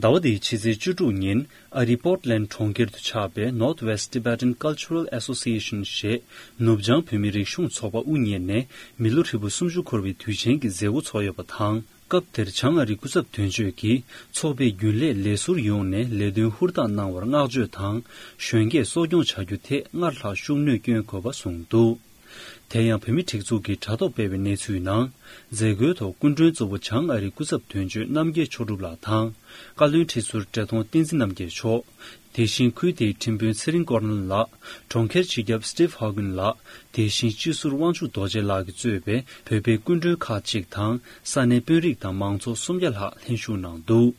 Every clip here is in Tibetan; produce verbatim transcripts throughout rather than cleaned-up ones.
ཟླ་བ་འདིའི་ཕྱི་ཚེས་བཅུ་དྲུག་ཉིན་ཨ་རིའི་པོར་ཊི་ལེན་ཌི་གྲོང་ཁྱེར་དུ་ཆགས་པའི་Northwest Tibetan Cultural Association ཞེས་ནུབ་བྱང་བོད་མིའི་རིག་གཞུང་ཚོགས་པ་དབུ་བརྙེས་ནས་མི་ལོ་ཧྲིལ་པོ་སུམ་ཅུ་འཁོར་བའི་དུས་ཆེན་གྱི་མཛད་སྒོ་ཚོགས་ཡོད་པ་དང་། སྐབས་དེར་བྱང་ཨ་རིའི་སྐུ་ཚབ་དོན་གཅོད་ཀྱིས་ཚོགས་པའི་རྒྱུན་ལས་ལས་ཟུར་ཡོངས་ནས་ལས་དོན་ཧུར་ཐག་གནང་བར་བསྔགས་བརྗོད་དང་། གཞོན་སྐྱེས་གསོ་སྐྱོང་བྱ་རྒྱུ་ཐད་སྔར་ལྷག་ཤུགས་སྣོན་བསྐྱོན་དགོས་པ་གསུངས་འདུག་དེ་ཡང་བོད་མིའི་སྒྲིག་འཛུགས་ཀྱིས་དྲ་ཐོག་སྤེལ་བའི་གནས་ཚུལ་ནང་། མཛད་སྒོའི་ཐོག་སྐུ་མགྲོན་གཙོ་བོ་བྱང་ཨ་རིའི་སྐུ་ཚབ་དོན་གཅོད་རྣམ་རྒྱལ་མཆོག་གྲུབ་ལགས་དང་། བཀའ་བློན་ཁྲི་ཟུར་བཀྲས་མཐོང་བསྟན་འཛིན་རྣམ་རྒྱལ་མཆོག་དེ་བཞིན་ཁུལ་དེའི་ཁྲིམས་དཔོན་ཚེ་རིང་ཀོར་ནེལ་ལགས། གྲོང་ཁྱེར་སྤྱི་ཁྱབ་སི་ཊིབ་ཧོ་གིན་ལགས། དེ་བཞིན་སྤྱི་ཟུར་དབང་ཕྱུག་རྡོ་རྗེ་ལགས་ཀྱིས་གཙོས་པའི་བོད་པའི་སྐུ་མགྲོན་ཁག་ཅིག་དང་ས་གནས་དཔོན་རིགས་དང་མང་ཚོགས་སུམ་བརྒྱ་ལྷག་ལྷན་ཞུགས་གནང་འདུག་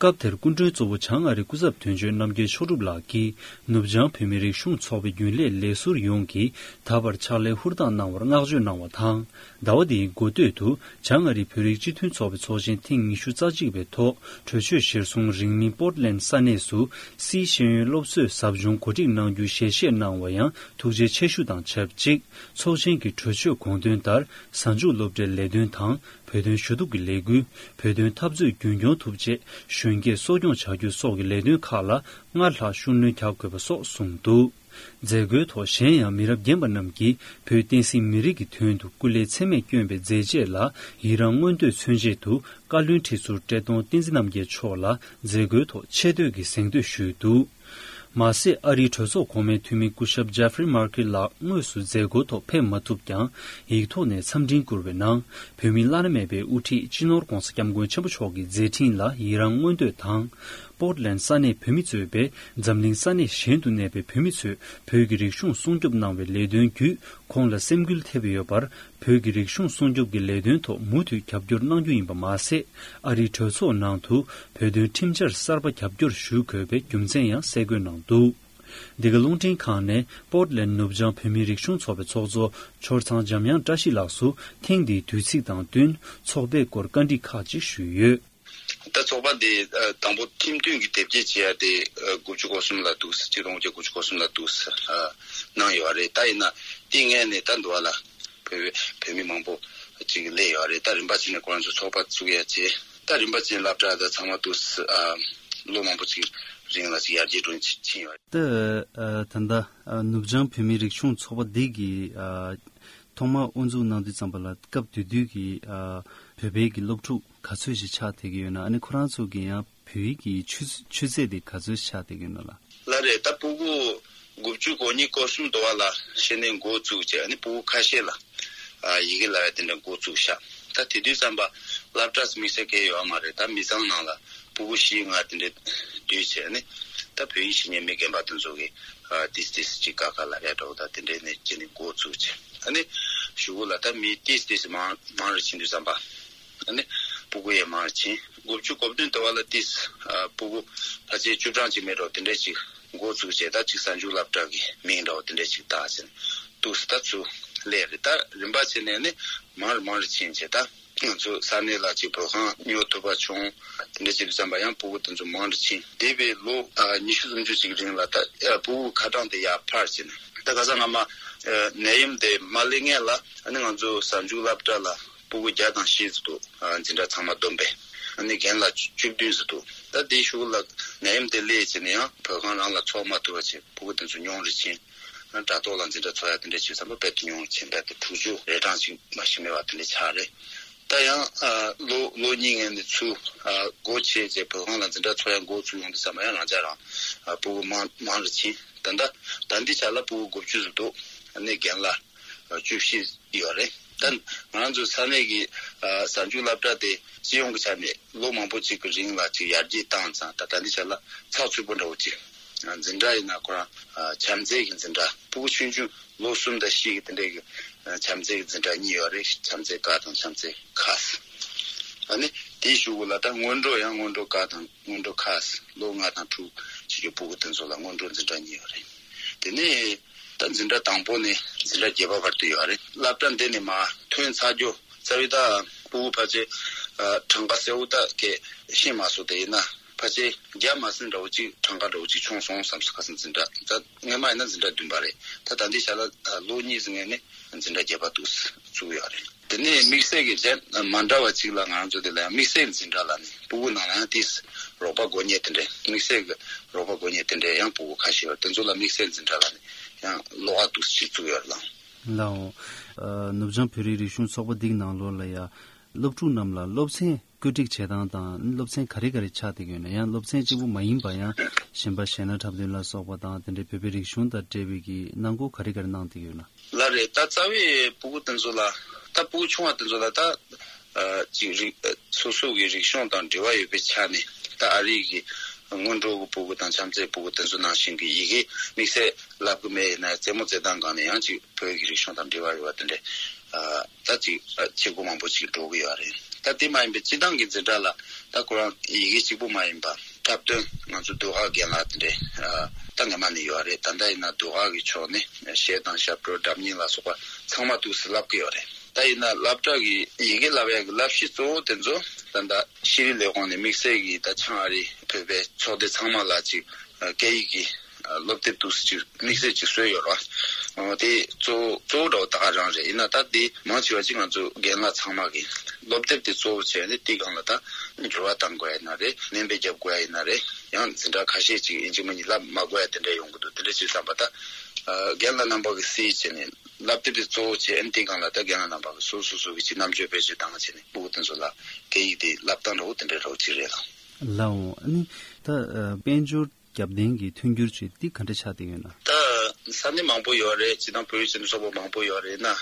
སྐབས་དེར་སྐུ་མགྲོན་གཙོ་བོ་བྱང་ཨ་རིའི་སྐུ་ཚབ་དོན་གཅོད་རྣམ་རྒྱལ་མཆོག་གྲུབ་ལགས་ཀྱིས་ནུབ་བྱང་བོད་མིའི་རིག་གཞུང་ཚོགས་པའི་རྒྱུན་ལས་ལས་ཟུར་ཡོངས་ཀྱིས་ད་བར་ཕྱག་ལས་ཧུར་ཐག་གནང་བར་བསྔགས་བརྗོད་གནང་བ་དང་། ཟླ་བ་འདིའི་འགོ་སྟོད་དུ་བྱང་ཨ་རིའི་བོད་རིགས་སྤྱི་མཐུན་ཚོགས་པའི་ཚོགས་ཆེན་ཐེངས་ཉི་ཤུ་རྩ་གཅིག་པའི་ཐོག་གྲོས་ཆོད་གཞིར་བཟུང་རིང་མིན་པོར་ཊི་ལེན་ཌི་ས་གནས་སུ་སིའི་ཤེས་ཡོན་སློབ་གསོའི་ཟབ་སྦྱོང་གོ་སྒྲིག་གནང་རྒྱུའི་ཞལ་བཞེས་གནང་བ་ཡང་ཐུགས་རྗེ་ཆེ་ཞུ་དང་ཆབས་ཅིག་ཚོགས་ཆེན་གྱི་གྲོས་ཆོད་དགོངས་དོན་ལྟར་གཟའ་མཇུག་སློབ་གྲྭའི་ལས་དོན་དང་། བོད་དོན་ཞུ་གཏུག་གི་ལས་འགུལ། བོད་དོན་འཐབ་རྩོད་རྒྱུན་སྐྱོང་ཐུབ་ཆེད་གཞོན་སྐྱེས་གསོ་སྐྱོང་བྱ་རྒྱུ་སོགས་ཀྱི་ལས་དོན་ཁག་ལ་སྔར་ལྷག་ཤུགས་སྣོན་རྒྱག་དགོས་པ་སོགས་གསུངས་འདུག་མཛད་སྒོའི་ཐོག་གཞན་ཡང་མི་རབས་རྒན་པ་རྣམས་ཀྱིས་བོད་བསྟན་སྲིད་མི་རིགས་ཀྱི་དོན་དུ་སྐུ་ལས་ཚད་མེད་བསྐྱོན་པའི་མཛད་རྗེས་ལ་ཡི་རང་མངོན་འདོད་མཚོན་ཆེད་དུ་བཀའ་བློན་ཁྲི་ཟུར་བཀྲས་མཐོང་བསྟན་འཛིན་རྣམ་རྒྱལ་མཆོག་ལ་མཛད་སྒོའི་ཐོག་ཆེ་བསྟོད་ཀྱི་གཟེངས་བསྟོད་ཞུས་འདུག་མ་ཟད། ཨ་རིའི་གྲོས་ཚོགས་གོང་མའི་འཐུས་མི་སྐུ་ཞབས་ཇེ་ཧྥི་རི་མར་ཀེལ་ལགས་དངོས་སུ་མཛད་སྒོའི་ཐོག་ཕེབས་མ་ཐུབ་ཀྱང་། ཡིག་ཐོག་ནས་འཚམས་འཕྲིན་བསྐུར་བའི་ནང་། བོད་མིའི་བླ་ན་མེད་པའི་དབུ་ཁྲིད་སྤྱི་ནོར་༧གོང་ས་༧སྐྱབས་མགོན་ཆེན་པོ་མཆོག་གི་མཛད་འཕྲིན་ལ་ཡི་རང་མངོན་འདོད་དང་། པོར་ཊི་ལེན་ཌི་ས་གནས་བོད་མི་གཙོས་པའི་འཛམ་གླིང་ས་གནས་གཞན་དུ་གནས་པའི་བོད་མི་ཚོས་བོད་ཀྱི་རིག་གཞུང་སྲུང་སྐྱོབ་གནང་བའི་ལས་དོན་བརྒྱུད་ཁོང་ལ་སེམས་འགུལ་ཐེབས་ཡོད་པར། བོད་ཀྱི་རིག་གཞུང་སྲུང་སྐྱོབ་ཀྱི་ལས་དོན་ཐོག་མུ་མཐུད་རྒྱབ་སྐྱོར་གནང་རྒྱུ་ཡིན་པ་མ་ཟད། ཨ་རིའི་གྲོས་ཚོགས་ནང་དུ་བོད་དོན་ཁྲིམས་འཆར་གསར་པ་རྒྱབ་སྐྱོར་ཞུ་དགོས་པའི་རྒྱུ་མཚན་ཡང་གསལ་འགོད་གནང་འདུག་འདི་ག་རླུང་འཕྲིན་ཁང་ནས་པོར་ཊི་ལེན་ཌི་ནུབ་བྱང་བོད་མིའི་རིག་གཞུང་ཚོགས་པའི་ཚོགས་གཙོ་ཆོས་ཚང་འཇམ་དབྱངས་བཀྲ་ཤིས་ལགས་སུ་ཐེངས་འདིའི་དུས་ཚིགས་དང་བསྟུན་ཚོགས་པའི་སྐོར་བཀའ་འདྲི་ཁག་ཅིག་ཞུས་ཡོད། ད་ཚོགས་པ་འདི་ཨ་དང་པོ་ཁྲིམས་མཐུན་གྱི་དེབ་སྐྱེལ་བྱེད་ཡ་དེ་ཨ་དགུ་བཅུ་གོ་གསུམ་ལ་འདུག་ཟེར། ཆིག་སྟོང་དགུ་བརྒྱ་དགུ་བཅུ་གོ་གསུམ་ལ་འདུག་ཟེར་ཨ་གནང་ཡོད་རེད། ད་ཡིན་ན་དེ་སྔོན་ནས་ད་འདུག་བ་ལ་བོད་བོད་མི་མང་པོ་ཅིག་སླེབས་ཡོད་རེད། ད་རིམ་པ་ཅིག་ནས་ཁོ་རང་ཚོ་ཚོགས་པ་བཙུགས་ཡ་བྱས། ད་རིམ་པ་ཅིག་ནས་སློབ་གྲྭ་ད་ཚང་མ་འདུག་ཟེར་ཨ་ལོ་མང་པོ་ཅིག་རིང་ལ་ཅིག་ཡར་རྒྱས་འགྲོ་ཕྱིན་ཡོད་རེད། ད་ཨ་ད་ལྟ་ཨ་ནུབ་བྱང་བོད་མིའི་རིག་གཞུང་ཚོགས་པ་འདི་གི་ཨ་ཐོག་མར་དབུ་འཛུགས་གནང་དུས་ཙམ་པ་ལ་སྐབས་དེ་དུས་ཀྱི་ཨ་བོད་པའི་གི་སློབ་ཕྲུག་ག་ཚོད་ཞིག་ཆགས་བསྡད་ཀྱི་ཡོད་ན། ཨ་ནི་ཁོ་རང་ཚོ་གི་ཡང་བོད་ཡིག་གི་ཆུ་ཆུ་ཚད་དེ་ག་ཚོད་ཆགས་བསྡད་ཀྱི་ཡོད་ན་ལགས། ལགས་རེད། ད་ཕྲུ་གུ་དགུ་བཅུ་གོ་གཉིས་གོ་གསུམ་དུ་བ་ལ་ཤེས་ནས་འགོ་བཙུགས་བྱས། ཨ་ནི་ཕྲུ་གུ་ཁ་ཤས་ལ་ཨ་ཡི་གེ་ལབ་ཡ་དེ་འདྲ་འགོ་བཙུགས་ཤག་ད་དེ་དུས་ཙམ་པ་སློབ་གྲྭ་དམིགས་བསལ་གང་ཡང་ཡོད་མ་རེད། ད་མི་ཚང་ནང་ལ་ཕྲུ་གུ་བཞི་ལྔ་དེ་འདྲ་སྡོད་བྱས། ཨ་ནི་ད་བོད་ཡིག་ཤེས་མཁན་མི་རྒན་པ་དེ་ཚོ་གིས་ཨ་ཏིས་ཏིས་ཅིག་ཀ་ཁ་ལབ་ཡ་འདྲ་བོ་ད་དེ་འདྲའི་ནས་བྱས་ནས་འགོ་བཙུགས་བྱས། ཨ་ནི་གཞུག་གུ་ལ་ད་མི་ཏིས་ཏིས་མང་མང་རུ་ཕྱིན་དུས་ཙམ་པ། ཨ་ནི་ཕྲུ་གུ་ཡང་མང་རུ་ཕྱིན། དགུ་བཅུ་གོ་བདུན་དུ་བ་ལ་ཏིས་ཨ་ཕྲུ་གུ་ཕལ་ཆེར་བཅུ་གྲངས་ཅིག་མེད་འགྲོ་དེ་འདྲ་ཅིག་འགོ་བཙུགས་བྱས། ད་ཅིག་གཟའ་མཇུག་སློབ་གྲྭ་གི་མིང་འདྲ་བོ་དེ་འདྲ་ཅིག་བཏགས་བྱས་འདུག་ཟེར། ད་ཚུར་སླེབས་རེད། ད་རིམ་པ་བྱས་ནས་ནི་མང་རུ་མང་རུ་ཕྱིན་བྱས། ད་ང་ཚོ་ས་གནས་ལ་ཅིག་བོད་ཁང་ཉོ་ཐུབ་པ་བྱུང་། དེ་འདྲ་བྱེད་དུས་ཙམ་པ་ཡང་ཕྲུ་གུ་དེ་ཚོ་མང་རུ་ཕྱིན། འདས་པའི་ལོ་ཨ་ཉི་ཤུ་སུམ་ཅུ་ཅིག་རིང་ལ་ད་ཨ་ཕྲུ་གུ་ཁ་གྲངས་དེ་ཡར་འཕར་བྱས་ནས། ད་ཁ་སང་སྔ་མ་ཨ་ནད་ཡམས་དེ་མ་སླེབས་སྔོན་ལ་ཨ་ནི་ང་ཚོ་གཟའ་མཇུག་སློབ་གྲྭ་ལ་ཕྲུ་གུ་བརྒྱ་དང་བཞི་ཙམ་འདུག་ཨ་འཛིན་གྲྭ་ཚང་མ་བསྡོམས་པས། ཨ་ནི་རྒན་ལགས་བཅུ་བདུན་ཙམ་འདུག་ད་དེའི་གཞུག་ལ་ནད་ཡམས་དེ་སླེབས་བྱས་ནས་ཡང་བོད་ཁང་རང་ལ་ཚོགས་མ་ཐུབ་པ་བྱས། ཕྲུ་གུ་དེ་ཚོ་ཉུང་རུ་ཕྱིན། དྲ་ཐོག་ལ་འཛིན་གྲྭ་ཚོགས་ཡ་དེ་འདྲ་བྱས་ཙམ་པ་རྦད་དེ་ཉུང་རུ་ཕྱིན། རྦད་དེ་དྲུག་ཅུ་རེ་གྲངས་ཅིག་མ་ཞིག་མེད་པ་དེ་འདྲ་ཆགས་རེད། ད་ཡང་ཨ་ལོ་ལོ་གཉིས་སྔོན་ནས་ཚུར་ཨ་སྒོ་ཕྱེ་བྱས་བོད་ཁང་ལ་འཛིན་གྲྭ་ཚོགས་ཡ་འགོ་ཚུགས་ཡོང་དུས་ཙམ་པ་ཡང་རང་ཅག་རང་ཨ་ཕྲུ་གུ་མང་མང་རུ་ཕྱིན། ད་ལྟ་ད་ལྟའི་ཆ་ལ་ཕྲུ་གུ་དགུ་བཅུ་ཙམ་འདུག་ཨ་ནི་རྒན་ལགས་ཨ་བཅུ་བཞི་ཡོད་རེད། ད་ང་རང་ཚོའི་ས་གནས་ཀྱི་ཨ་གཟའ་མཇུག་སློབ་གྲྭ་དེ་སྤྱི་ཡོངས་ཀྱི་ཆ་ནས་ལོ་མང་པོ་ཅིག་གི་རིང་ལ་ཅིག་ཡར་རྒྱས་བཏང་ཙང་། ད་ད་ལྟའི་ཆ་ལ་ཚགས་ཚུད་པོ་འདྲ་བོ་ཅིག་ཨ་འཛིན་གྲྭ་ཡིན་ན་ཁོ་རང་ཨ་བྱམས་བརྩེ་གི་འཛིན་གྲྭ། ཕྲུ་གུ་ཆུང་ཆུང་ལོ་གསུམ་དང་བཞི་གི་དེ་འདྲའི་གི་ཨ་བྱམས་བརྩེ་གི་འཛིན་གྲྭ་གཉིས་ཡོད་རེད། བྱམས་བརྩེ་ཀ་དང་བྱམས་བརྩེ་ཁ། ཨ་ནི་དེའི་གཞུག་གུ་ལ་ད་སྔོན་འགྲོ་ཡང་སྔོན་འགྲོ་ཀ་དང་སྔོན་འགྲོ་ཁ། ལོ་ལྔ་དང་དྲུག་བྱེད་རྒྱུ་ཕྲུ་གུ་དེ་ཚོ་ལ་སྔོན་འགྲོ་འཛིན་གྲྭ་གཉིས་ཡོད་རེད། དེ་ནས་ད་འཛིན་གྲྭ་དང་པོ་ནས་འཛིན་གྲྭ་བརྒྱད་པ་བར་དུ་ཡོད་རེད། སློབ་གྲྭ་འདི་ནས་མར་ཐོན་ཚར་རྒྱུ་རྩ་བའི་ད་ཕྲུ་གུ་ཕལ་ཆེར་ཨ་གྲངས་ཀ་གསལ་བོ་ད་གས་ཤེས་མ་སོང་། དེ་ཡིན་ན་ཕལ་ཆེར་བརྒྱ་མ་ཟིན་འདྲ་བོ་ཅིག་གྲངས་ཀ་འདྲ་བོ་ཅིག་བྱུང་སོང་བསམ་སོང་། ཁ་སང་འཛིན་གྲྭ་ད་སྔོན་མ་ཡིན་ན་འཛིན་གྲྭ་བདུན་པ་རེད། ད་ད་ལྟའི་ཆ་ལ་ཨ་ལོ་གཉིས་ཟིན་ངེས་ནས་འཛིན་གྲྭ་བརྒྱད་པ་འདུག་བཙུགས་ཡོད་རེད། དེ་ནས་དམིགས་བསལ་གྱི་གཞན་མ་འདྲ་བ་གཅིག་ལ་ང་རང་ཚོ་དེ་ལ་ཡང་དམིགས་བསལ་འཛིན་གྲྭ་ལ་ནི་སྤུ་གུ་ནང་ལ་ཡང་དེས་རོགས་པ་དགོས་མཁན་དེ་འདྲས། དམིགས་བསལ་གྱི་རོགས་པ་དགོས་མཁན་དེ་འདྲས་ཡང་སྤུ་གུ་ཁ་ཤས་ཡོད། དེ་ཚོ་ལ་དམིགས་བསལ་འཛིན་གྲྭ་ལ་ནི་ཡང་ལོགས་ཀ་འདུག་སེ་བཙུགས་ཡོད་ལགས། ལགས་འོང་། ཨ། ནུབ་བྱང་བོད་རིགས་རིག་གཞུང་ཚོགས་པ་འདིའི་ནང་ལོགས་ལ་ཡ། སློབ་ཕྲུག་རྣམས་ལ་སློབ་ཚན་བཀོད་སྒྲིག་བྱེད་སྟངས་དང་སློབ་ཚན་ག་རེ་ག་རེ་ཆགས་བསྡད་ཀྱི་ཡོད་ན། ཡང་སློབ་ཚན་གཅིག་པུ་མ་ཡིན་པ་ཡང་གཞན་པ་གཞས་སྣ་འཁྲབ་སྟོན་ལ་སོགས་པ་དང་དེ་འདྲའི་བོད་པའི་རིག་གཞུང་དང་འབྲེལ་བའི་གི་གནང་སྒོ་ག་རེ་ག་རེ་གནང་བསྡད་ཀྱི་ཡོད་ན། ལགས་རེད། ད་རྩ་བའི་སྤུ་གུ་དེ་ཚོ་ལ། ད་སྤུ་གུ་ཆུང་བ་དེ་ཚོ་ལ་ད། ཨ། ཅིག་རིག་ཨ། སོ་སོ་གི་རིག་གཞུང་དང་འབྲེལ་བ་ཡོད་པའི་ཆ་ནས། ད་ཨ་རི་གི་སྔོན་འགྲོ་གི་སྤུ་གུ་དང་བྱམས་བརྩེའི་སྤུ་གུ་དེ་ཚོ་ནང་བཞིན་གྱི་ཡི་གེ་དམིགས་བསལ་བསླབ་གི་མེད་ཡིན་ན། རྩེད་མོ་རྩེད་སྟངས་སྒང་ནས་ཡང་ཅིག་བོད་ཀྱི་རིག་གཞུང་དང་འབྲེལ་བ་ཡོད་པ་དེ་འདྲས། ཨ། ད་ཅིག་ཨ། བྱེད་སྒོ་མང་པོ་ཅིག་འགྲོ་གི་ཡོད་རེད། ད་དེ་མ་ཡིན་པའི་སྤྱི་བཏང་གི་འཛིན་གྲྭ་ལ་ད་ཁོ་རང་ཡི་གེ་གཅིག་པུ་མ་ཡིན་པ། འཁྲབ་སྟོན། ང་ཚོ་ཟློས་གར་རྒན་ལགས་དེ་འདྲས། ཨ། ད་སྔ་མ་ནས་ཡོད་རེད། ད་ལྟ་ཡིན་ན་ཟློས་གར་གྱི་ཕྱོགས་ནས་གཞས་དང་ཞབས་བྲོ། སྒྲ་སྙན་ལ་སོགས་པ་ཚང་མ་འདུག་སེ་བསླབ་ཀྱི་ཡོད་རེད། ད་ཡིན་ན་སློབ་གྲྭ་གི་ཡི་གེ་བསླབ་ཡག་གི་བསླབ་གཞི་གཙོ་བོ་དེ་ཚོ་ད་ལྟ་ཤེས་རིག་ལས་ཁུངས་ནས་དམིགས་བསལ་གྱི་ད་བྱང་ཨ་རིའི་བོད་པའི་ཚོགས་སྡེ་ཚང་མ་ལ་ཅིག་སྐད་ཡིག་གི་སློབ་དེབ་འདུག་སེ་ཅིག་དམིགས་བསལ་ཅིག་བཟོས་ཡོད་རེད་བ། དེ་གཙོ་བོ་གཙོ་བོ་འདྲ་བོ་ད་ག་རང་རེད། ཡིན་ན་ད་དེ་མང་ཆེ་བ་ཅིག་ང་ཚོ་རྒན་ལགས་ཚང་མ་གི་སློབ་དེབ་དེ་གཙོ་བོ་བྱས་ནས་དེའི་སྒང་ལ་ད་འགྱུར་བ་གཏང་དགོས་ཡ་ཡིན་ན་རེད། སྣོན་པ་རྒྱབ་དགོས་ཡ་ཡིན་ན་རེད། ཡང་འཛིན་གྲྭ་ཁ་ཤས་ཅིག་ཡིན་གཅིག་མིན་གཉིས་བསླབ་མ་དགོས་ཡ་དེ་འདྲ་ཡོང་གི་འདུག་དེ་འདྲ་བྱས་ཙམ་པ་ད་རྒན་ལགས་རྣམ་པ་གི་སྲིད་བྱས་ནས། བསླབ་དེབ་དེ་གཙོ་བོ་བྱས། ཨ་ནི་དེའི་སྒང་ལ་ད་རྒན་ལགས་རྣམ་པ་གིས་སོ་སོ་སོ་གི་ཅིག་རྣམ་དཔྱོད་བེད་སྤྱོད་བཏང་བྱས་ནས་སྤུ་གུ་དེ་ཚོ་ལ་སྐད་ཡིག་དེ་བསླབ་སྟངས་འདྲ་བོ་དེ་འདྲའི་འདྲ་བོ་ཅིག་རེད་ལགས། ལགས་འོང་། ཨ་ནི་ད་ཨ། དཔལ་འབྱོར་རྒྱབ་རྟེན་གྱི་མཐུན་འགྱུར་ཅིག་འདི་ག་འདྲ་ཆགས་བསྡད་ཡོད་ན། ད་ས་གནས་མང་པོ་ཡོད་རེད། སྤྱིར་བཏང་བོད་རིགས་སྤྱི་མཐུན་ཚོགས་པ་མང་པོ་ཡོད་རེད། ཡིན་ན་ཨ།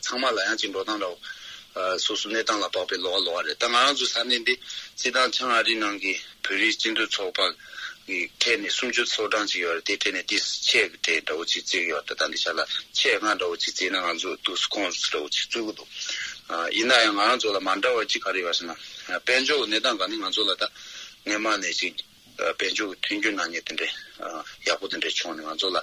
ཚང་མ་ལ་ཡང་ཅིག་འགྲོ་སྟངས་འདྲ་བོ། ཨ། སོ་སོ་གནས་སྟངས་ལ་དཔག་པའི་ལོགས་ཀ་ལོགས་ཀ་རེད། ད་ང་རང་ཚོའི་ས་གནས་འདི་སྤྱིར་བཏང་བྱང་ཨ་རིའི་ནང་གི་བོད་རིགས་སྤྱི་མཐུན་ཚོགས་པ་གི་གྲས་ནས་སུམ་ཅུ་སོ་གྲངས་ཅིག་ཡོད་རེད། དེའི་གྲས་ནས་དེ་ཆེ་གི་གྲས་འདྲ་བོ་ཅིག་བརྩི་གི་ཡོད་རེད། ད་ལྟ་འདི་ཆ་ལ་ཆེ་ལྔ་འདྲ་བོ་ཅིག་བརྩིས་ན་ང་ཚོ་འདུག་སེ་ཁོངས་སུ་འདྲ་བོ་ཅིག་བརྩི་གི་འདུག་ཨ། ཡིན་ན་ཡང་ང་རང་ཚོ་ལ་མ་འདྲ་བ་ཅིག་ག་རེ་ཡོད་ཟེར་ན། དཔལ་འབྱོར་གྱི་གནས་སྟངས་སྒང་ནས་ང་ཚོ་ལ་ད་སྔོན་མ་ནས་ཅིག་དཔལ་འབྱོར་གྱི་མཐུན་འགྱུར་གནང་མཁན་དེ་འདྲས་ཡག་པོ་དེ་འདྲས་བྱུང་ནས། ང་ཚོ་ལ་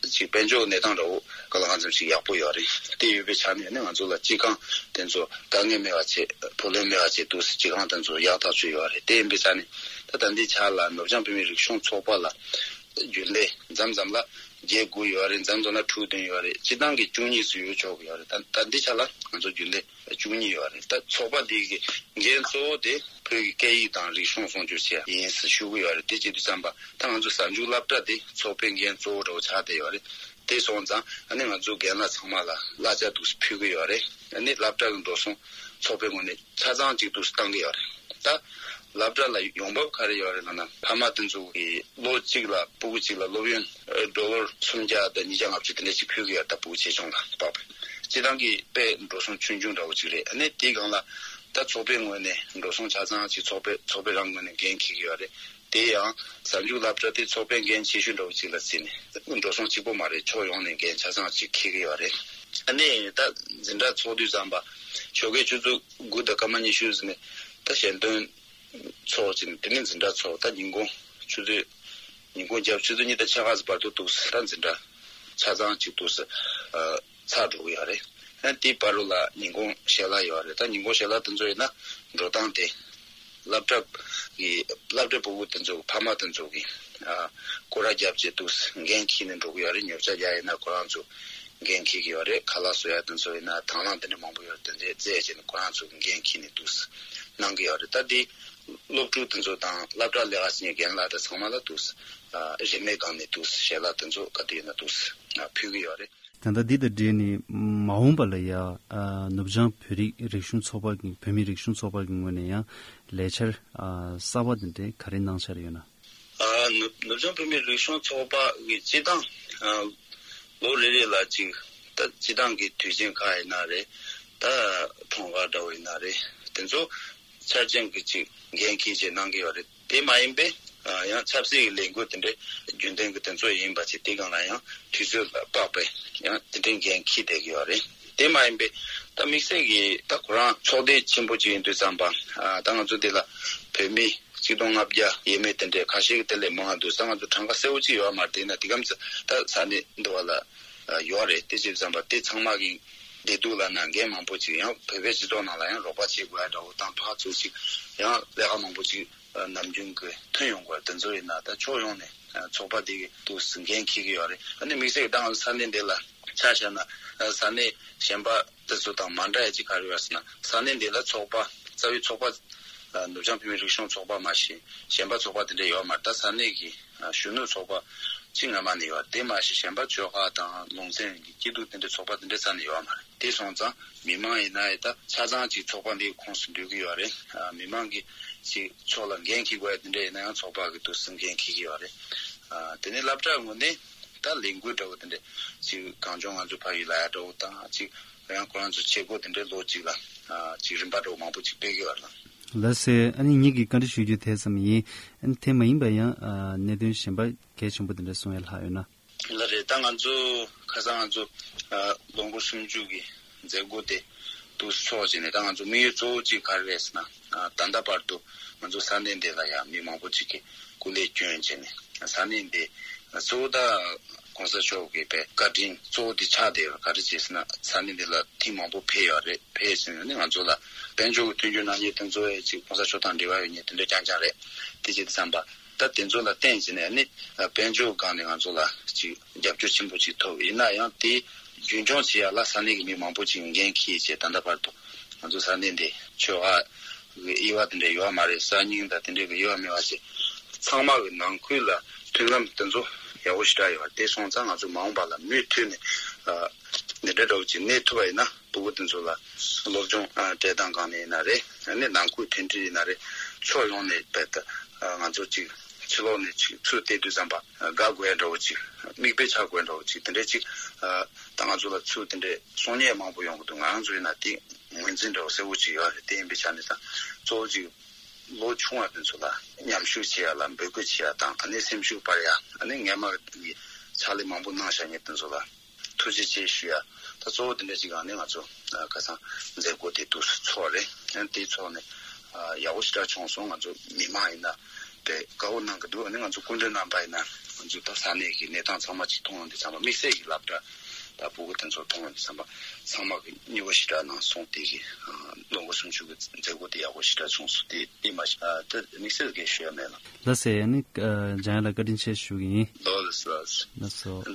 ཅིག་དཔལ་འབྱོར་གྱི་གནས་སྟངས་འདྲ་བོ་གང་ལ་གང་འཚམ་ཞིག་ཡག་པོ་ཡོད་རེད། དེ་ཡོད་པའི་ཆ་ནས་ནི་ང་ཚོ་ལ་སྤྱི་ཁང་དེ་ཚོ་དཀའ་ངལ་མེད་པ་བྱས། བུ་ལོན་མེད་པ་བྱས། འདུག་སེ་སྤྱི་ཁང་དེ་ཚོ་ཡག་ཐག་ཆོད་ཡོད་རེད། དེ་ཡིན་པའི་ཆ་ནས་ད་ད་ལྟའི་ཆ་ལ་ནུབ་བྱང་བོད་མིའི་རིག་གཞུང་ཚོགས་པ་ལ་རྒྱུན་ལས་མཚམས་མཚམས་ལ་བརྒྱད་དགུ་ཡོད་རེད། མཚམས་མཚམས་ལ་དྲུག་བདུན་ཡོད་རེད། སྤྱིར་བཏང་གི་བཅུ་གཉིས་ཙམ་ཡོད་ཆོག་གི་ཡོད་རེད། ད་ད་ལྟའི་ཆ་ལ་ང་ཚོ་རྒྱུན་ལས་བཅུ་གཉིས་ཡོད་རེད། ད་ཚོགས་པ་འདི་གི་འགན་གཙོ་བོ་དེ་བོད་ཀྱི་སྐད་ཡིག་དང་རིག་གཞུང་སྲུང་སྐྱོབ་བྱེད་ཡ་ཡིན་ཟེར་ཞུ་གི་ཡོད་རེད། དེ་བྱེད་དུས་ཙམ་པ་ད་ང་ཚོ་གཟའ་མཇུག་སློབ་གྲྭ་དེ་ཚོགས་པའི་འགན་གཙོ་བོ་འདྲ་བོ་ཆགས་བསྡད་ཡོད་རེད། དེ་སོང་ཙང་ཨ་ནི་ང་ཚོ་རྒན་ལགས་ཚང་མ་ལ་གླ་ཆ་འདུག་སེ་ཕུལ་གི་ཡོད་རེད། ཨ་ནི་སློབ་གྲྭ་གི་འགྲོ་སོང་ཚོགས་པའི་ངོས་ནས་ཆ་ཚང་གཅིག་འདུག་སེ་བཏང་གི་ཡོད་རེད། ད་སློབ་གྲྭ་ལ་ཡོང་འབབ་ག་རེ་ཡོད་རེད་ལབ་ན། ཕ་མ་དེ་ཚོ་གིས་ལོ་གཅིག་ལ་སྤུ་གུ་གཅིག་ལ་སློབ་ཡོན་ཌོ་ལར་སུམ་བརྒྱ་དང་ཉིས་བརྒྱ་ལྔ་བཅུ་དེ་འདྲ་ཞིག་ཕུལ་གི་ཡོད། ད་སྤུ་གུ་ཆེ་ཆུང་ལ་དཔག་པའི། སྤྱིར་བཏང་གི་དཔེ་འགྲོ་སོང་ཆུང་ཆུང་འདྲ་བོ་ཅིག་རེད། ཨ་ནི་དེའི་སྒང་ལ་ད་ཚོགས་པའི་ངོས་ནས་འགྲོ་སོང་ཆ་ཚང་ཅིག་ཚོགས་པའི་ཚོགས་པའི་རང་ངོས་ནས་འགན་འཁྱེར་གི་ཡོད་རེད། དེ་ཡང་གཟའ་མཇུག་སློབ་གྲྭ་དེ་ཚོགས་པའི་འགན་ཆེ་ཤོས་འདྲ་བོ་ཅིག་ལ་བརྩིས་ནས། འགྲོ་སོང་གཅིག་པོ་མ་རེད། ཕྱོགས་ཡོངས་ནས་འགན་ཆ་ཚང་ཅིག་འཁྱེར་གི་ཡོད་རེད། ཨ་ནི་ད་འཛིན་གྲྭ་ཚོགས་དུས་ཙམ་པ་ཞོགས་ཀའི་ཆུ་ཚོད་དགུ་དང་སྐར་མ་ཉི་ཤུ་ཟིན་ནས་ད་ཞལ་འདོན་ཚོགས་བྱས་ནས། དེ་ནས་འཛིན་གྲྭ་ཚོགས། ད་ཉིན་གུང་ཆུ་ཚོད་ཉིན་གུང་རྒྱབ་ཆུ་ཚོད་གཉིས་དང་ཕྱེད་ཀ་ཙམ་བར་དུ་འདུག་སེ་ད་འཛིན་གྲྭ་ཆ་ཚང་ཅིག་འདུག་སེ་ཨ། ཚར་འགྲོ་གི་ཡོད་རེད། ཨ་ནི་དེའི་བར་དུ་ལ་ཉིན་གུང་ཞལ་ལག་ཡོད་རེད། ད་ཉིན་གུང་ཞལ་ལག་དེ་ཚོ་ཡིན་ན་འགྲོ་སྟངས་དེ་སློབ་གྲྭ་གི་སློབ་གྲྭའི་སྤུ་གུ་དེ་ཚོ་གི་ཕ་མ་དེ་ཚོ་གིས་ཨ། སྐོར་ར་བརྒྱབ་བྱས་འདུག་སེ་འགན་འཁྱེར་ནས་འགྲོ་གི་ཡོད་རེད། ཉོ་ཆ་རྒྱག་ཡ་ཡིན་ན་ཁོ་རང་ཚོ་འགན་འཁྱེར་གི་ཡོད་རེད། ཁ་ལག་བཟོ་ཡ་དེ་ཚོ་ཡིན་ན། དང་བླངས་དེ་འདྲ་མང་པོ་ཡོད་རེད། དེ་འདྲ་བཙལ་བྱས་ནས་ཁོ་རང་ཚོ་གིས་འགན་འཁྱེར་ནས་འདུག་སེ་གནང་གི་ཡོད་རེད། ད་དེ་སློབ་ཕྲུག་དེ་ཚོ་དང་སློབ་གྲྭ་ལས་ཀ་བྱེད་མཁན་རྒན་ལགས་དང་ཚང་མ་ལ་འདུག་སེ་ཨ། རིན་མེད་སྒང་ནས་འདུག་སེ་ཞལ་ལག་དེ་ཚོ་ག་དུས་ཡིན་ན་འདུག་སེ་ཨ། ཕུལ་གི་ཡོད་རེད། ད་ལྟ་འདི་དང་འབྲེལ་ནས་མ་འོངས་པ་ལ་ཡ། ཨ། ནུབ་བྱང་བོད་རིགས་རིག་གཞུང་ཚོགས་པ་གི་བོད་མིའི་རིག་གཞུང་ཚོགས་པ་གི་ངོས་ནས་ཡང་ལས་འཆར་ཨ། གསར་བ་དེ་འདྲའི་ག་རེ་གནང་འཆར་ཡོད་ན། ཨ། ནུབ་ནུབ་བྱང་བོད་མིའི་རིག་གཞུང་ཚོགས་པ་གི་སྤྱིར་བཏང་ཨ། ལོ་རེ་རེ་ལ་ཅིག་ད་སྤྱིར་བཏང་གི་དུས་ཆེན་ཁག་ཡིན་ན་རེད། ད་འཁྲུངས་སྐར་འདྲ་བོ་ཡིན་ན་རེད། དེ་ཚོ་འཆར་ཅན་གྱི་ཅིག་འགན་འཁྱེར་བྱས་གནང་གི་ཡོད་རེད། དེ་མ་ཡིན་པའི་ཨ། ཡང་ཆབ་སྲིད་ཀྱི་ལས་འགུལ་དེ་འདྲའི་རྒྱུན་ལྡན་གྱི་དེ་ཚོ་ཡིན་པ་བྱས། དེ་སྒང་ལ་ཡང་དུས་ཚོད་ལ་དཔག་པའི་ཡང་དེ་འདྲའི་འགན་འཁྱེར་བསྡད་ཀྱི་ཡོད་རེད། དེ་མ་ཡིན་པའི་ད་དམིགས་བསལ་གྱི་ད་ཁོ་རང་ཚོགས་སྡེ་ཆེན་པོ་ཅིག་ཡིན་དུས་ཙམ་པ། ཨ། ད་ང་ཚོ་འདི་ལ་བོད་མི་གཅིག་སྟོང་ལྔ་བརྒྱ་ཡས་མས་དེ་འདྲའི་ཁ་ཤས་ཀྱི་དེ་ལས་མང་བ་འདུག་ས། ང་ཚོ་གྲངས་ཀ་གསལ་བོ་ཅིག་ཡོད་མ་རེད། དེ་ཡིན་ན་དེ་གམ་ཚ་ད་ས་གནས་འདི་བ་ལ་ཡོད་རེད། དེ་བྱས་ཙམ་པ་དེ་ཚང་མ་གི་བདེ་སྡུག་ལ་ན་འགན་མང་པོ་ཅིག་ཡང་བོད་པའི་སྤྱི་ཚོགས་ནང་ལ་ཡང་རོགས་པ་བྱེད་དགོས་ཡ་འདྲ་བོ་དང་། ཕར་ཚུར་ཅིག་ཡང་ལས་ཀ་མང་པོ་ཅིག་ ནམ་རྒྱུན་གྱི་ཐོན་ཡོང་དགོས་དེ་ཚོ་ཡིན་ན་ད་ཕྱོགས་ཡོངས་ནས་ཚོགས་པ་དེ་གི་ཏོག་ཙམ་འགན་འཁྱེར་གྱི་ཡོད་རེད། ཨ་ནི་དམིགས་བསལ་གྱི་ད་ང་ཚོ་ས་གནས་འདི་ལ་ཆ་བཞག་ན་ས་གནས་གཞན་པ་དེ་ཚོ་དང་མ་འདྲ་ཡ་ཅིག་ག་རེ་ཡོད་ཟེར་ན་ས་གནས་འདི་ལ་ཚོགས་པ་རྩ་བའི་ཚོགས་པ་ནུབ་བྱང་བོད་མིའི་རིག་གཞུང་ཚོགས་པ་མ་གཞི་གཞན་པ་ཚོགས་པ་དེ་འདྲ་ཡོད་མ་རེད། ད་ས་གནས་ཀྱི་གཞོན་ནུ་ཚོགས་པ་གཅིག་སྔ་མ་ནས་ཡོད་དེ་མ་གཞི་གཞན་པ་ཆོལ་ཁ་དང་ལུང་ཚན་གྱི་སྐྱིད་སྡུག་དེ་འདྲའི་ཚོགས་པ་དེ་འདྲ་རྩ་ནས་ཡོད་མ་རེད། དེ་སོང་ཙང་མི་མང་ཡིན་ན་ཡང་ད་ཆ་ཚང་གཅིག་ཚོགས་པ་འདིའི་ཁོངས་སུ་འདུས་ཀྱི་ཡོད་རེད། མི་མང་གིས་གཅིག་ཕྱོགས་ལ་འགན་འཁྱེར་དགོས་ཡ་དེ་འདྲ་ཡིན་ན་ཡང་ཚོགས་པ་གི་ཏོག་ཙམ་འགན་འཁྱེར་གྱི་ཡོད་རེད། དེ་ནས་སློབ་གྲྭ་ངོས་ནས་ད་ལས་འགུལ་འདྲ་བོ་དེ་འདྲ་གཅིག་གངས་ལྗོངས་ང་ཚོ་ཕ་ཡུལ་ལ་ཡ་འདྲ་བོ་དང་གཅིག་ཡང་ཁོ་རང་ཚོ་བྱེད་སྒོ་དེ་འདྲའི་ལོ་གཅིག་ལ་གཅིག་རིམ་པ་འདྲ་བོ་མང་པོ་གཅིག་སྤེལ་གྱི་ཡོད་རེད། ལགས་སེ། ཨ་ནི་ངེད་ཀྱིས་བཀའ་འདྲི་ཞུ་རྒྱུ་དེ་ཙམ་ཡིན། ཨ་ནི་དེ་མ་ཡིན་པ་ཡང་གནད་དོན་གཞན་པ་གལ་ཆེན་པོ་དེ་འདྲ་གསུང་ཡ་ལྷག་ཡོད་ན། ལགས་རེད། ད་ང་ཚོ་ཁ་སང་ང་ཚོ་ལོ་འཁོར་སུམ་ཅུ་གི་མཛད་སྒོ་དེ་ཏོག་ཙམ་ཚོགས་བྱས་ནས་ད་ང་ཚོ་དམིགས་ཡུལ་གཙོ་བོ་གཅིག་ག་རེ་རེད་ཟེར་ན་ད་ལྟ་བར་དུ་ང་ཚོ་ས་གནས་འདི་ལ་ཡང་མི་མང་པོ་གཅིག་གིས་སྐུ་ལས་བསྐྱོན་བྱས་ནས་ས་གནས་འདི་གཙོ་བོ་ད་༸གོང་ས་མཆོག་གི་བཀའ་དྲིན་གཙོ་བོ་དེ་ཆགས་བསྡད་ཡོད། ག་རེ་བྱས་ཟེར་ན་ས་གནས་འདི་ལ་ཐེངས་མང་པོ་ཕེབས་ཡོད་རེད། ཕེབས་ཟིན་ནས་ང་ཚོ་ལ་དཔལ་འབྱོར་གྱི་མཐུན་འགྱུར་གནང་མཁན་དེ་ཚོ་ཡང་གཅིག་༸གོང་ས་མཆོག་དང་འབྲེལ་བ་ཡོད་མཁན་དེ་འདྲ་རྐྱང་རྐྱང་རེད། དེ་བྱས་དུས་ཙམ་པ་ད་དེ་ཚོ་ལ་བརྟེན་བྱས་ནས་ནི་དཔལ་འབྱོར་སྒང་ནས་ང་ཚོ་ལ་གཅིག་རྒྱབ་སྐྱོར་ཆེན་པོ་གཅིག་ཐོབ། ཡིན་ན་ཡང་དེ་རྒྱུན་འཁྱོངས་བྱེད་ཡ་ལ་ས་གནས་ཀྱི་མི་མང་པོ་གཅིག་འགན་འཁྱེར་བྱས་ད་ལྟ་བར་དུ་ང་ཚོ་ས་གནས་འདི་ཆོལ་ཁ་གི་དབྱེ་བ་དེ་འདྲ་ཡོད་མ་རེད། གསར་རྙིང་དང་དེ་འདྲ་གི་དབྱེ་བ་མེད་པ་བྱས་ཚང་མ་གི་ནང་ཁུལ་ལ་མཐུན་ལམ་དེ་ཚོ་ཡག་པོ་ཞེ་དྲག་ཡོད་རེད། དེ་སོང་ཙང་ང་ཚོ་མ་འོངས་པ་ལ་མུ་མཐུད་ནས་འདི་འདྲ་འདྲ་བོ་ཅིག་གནས་ཐུབ་པ་ཡིན་ན་ཕྲུ་གུ་དེ་ཚོ་ལ་སློབ་སྦྱོང་སྤྲད་སྟངས་སྒང་ནས་ཡིན་ན་རེད། ཨ་ནི་ནང་ཁུལ་མཐུན་སྒྲིལ་ཡིན་ན་རེད། ཕྱོགས་ཡོངས་ནས་རྦད་དེ་ང་ཚོ་ཅིག་ཕྱི་ལོགས་ནས་ཅིག་ཚུར་བལྟས་དུས་ཙམ་པ་དགའ་དགོས་ཡ་འདྲ་བོ་ཅིག་མིག་དཔེ་ཆགས་དགོས་འདྲ་བོ་ཅིག་དེ་འདྲ་ཅིག་ད་ང་ཚོ་ལ་ཚུར་དེ་འདྲའི་གསུང་ཉན་མང་པོ་ཡོང་གི་འདུག་ང་རང་ཚོ་ཡིན་ན་དེ་ངོས་འཛིན་འདྲ་བོ་གསལ་པོ་ཅིག་ཡོད་རེད། དེ་ཡིན་པའི་ཆ་ནས་ད་གཙོ་བོ་ཅིག་ལོ་ཆུང་བ་དེ་ཚོ་ལ་མཉམ་ཞུགས་བྱེད་ཡ་ལ་འབོད་སྐུལ་བྱེད་ཡ་དང་ཨ་ནི་སེམས་ཤུགས་སྤར་ཡ་ཨ་ནི་སྔས་མ་གི་ཕྱག་ལས་མང་པོ་གནང་བཞག་མཁན་དེ་ཚོ་ལ་ཐུགས་རྗེ་ཆེ་ཞུ་ཡ། ད་གཙོ་བོ་དེ་འདྲ་ཅིག་ཨ་ནི་ང་ཚོ་ཁ་སང་མཛད་སྒོ་དེ་ཏོག་ཙམ་ཚོགས་རེད། ཨ་ནི་དེ་ཚོགས་ནས་ཡག་པོ་ཞེ་དྲག་བྱུང་སོང་། ང་ཚོ་མི་མང་ཡིན་ན་དཔེ་དགའ་པོ་གནང་གི་འདུག་ཨ་ནི་ང་ཚོ་སྐུ་མགྲོན་རྣམ་པ་ཡིན་ན་ང་ཚོ་ད་ས་གནས་ཀྱི་གནས་སྟངས་ཚང་མ་ཅིག་མཐོང་ཡོང་དུས་ཙམ་པ་དམིགས་བསལ་གྱི་སློབ་གྲྭ་དང་ཕྲུ་གུ་དེ་ཚོ་མཐོང་ཡོང་དུས་ཙམ་པ་ཚང་མ་གི་མཉེས་པོ་ཞེ་དྲག་གནང་སོང་། དེ་གི་ལོ་འཁོར་སུམ་ཅུ་གི་མཛད་སྒོ་དེ་ཡག་པོ་ཞེ་དྲག་བྱུང་སོང་། དེ་དེ་མ་གཞི་དེ་དམིགས་བསལ་གྱི་ཞུ་ཡ་མེད་ལ། ལགས་སེ། ཨ་ནི་འཇམ་དབྱངས་ལགས་བཀའ་དྲིན་ཆེ་ཞུ་གི་ཡིན། ལགས་སོ། ལགས་སོ།